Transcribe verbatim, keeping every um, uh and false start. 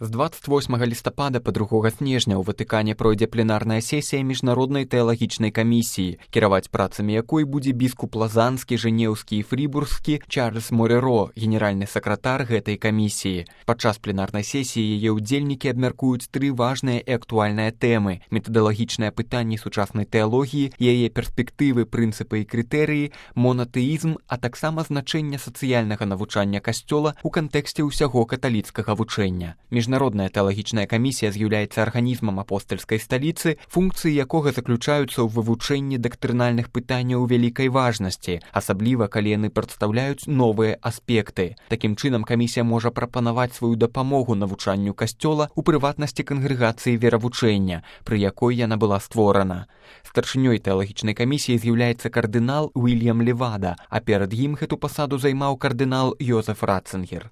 З дваццаць восьмага лістапада па другога снежня ў Ватыкане пройдзе пленарная сесія міжнароднай тэалагічнай камісіі, кіраваць працамі якой будзе біскуп Лазанскі, Жэнеўскі і Фрібургскі Чарльз Мореро, генеральны сакратар гэтай камісіі. Падчас пленарнай сесіі яе ўдзельнікі абмяркуюць тры важныя і актуальныя тэмы: метадалагічныя пытанні сучаснай тэалогіі, яе перспектывы, прынцыпы і крытэрыі, монатэізм, а таксама значэнне сацыяльнага навучання касцёла ў кантэксце ўсяго каталіцкага вучэння. Міжнародная тэалагічная камісія з'яўляецца арганізмам апостальскай сталіцы, функцыі якога заключаюцца ў вывучэнні дактрынальных пытанняў вялікай важнасці, асабліва калі яны прадстаўляюць новыя аспекты. Такім чынам камісія можа прапанаваць сваю дапамогу навучанню касцёла, у прыватнасці кангрэгацыі веравучэння, пры якой яна была створана. Старшынёй тэалагічнай камісіі з'яўляецца кардынал Уільям Левада, а перад ім гэту пасаду займаў кардынал Йозеф Ратцынгер.